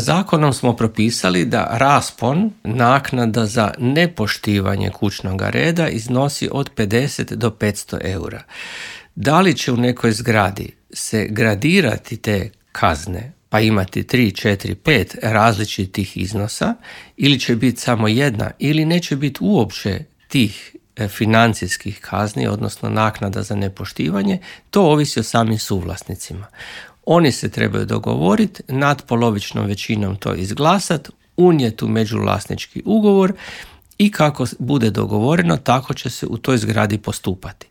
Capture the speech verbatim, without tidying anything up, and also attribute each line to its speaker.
Speaker 1: Zakonom smo propisali da raspon naknada za nepoštivanje kućnog reda iznosi od pedeset do petsto eura. Da li će u nekoj zgradi se gradirati te kazne, pa imati tri, četiri, pet različitih iznosa, ili će biti samo jedna, ili neće biti uopće tih financijskih kazni, odnosno naknada za nepoštivanje, to ovisi o samim suvlasnicima. Oni se trebaju dogovoriti, nadpolovičnom većinom to izglasati, unijeti u međuvlasnički ugovor i kako bude dogovoreno, tako će se u toj zgradi postupati.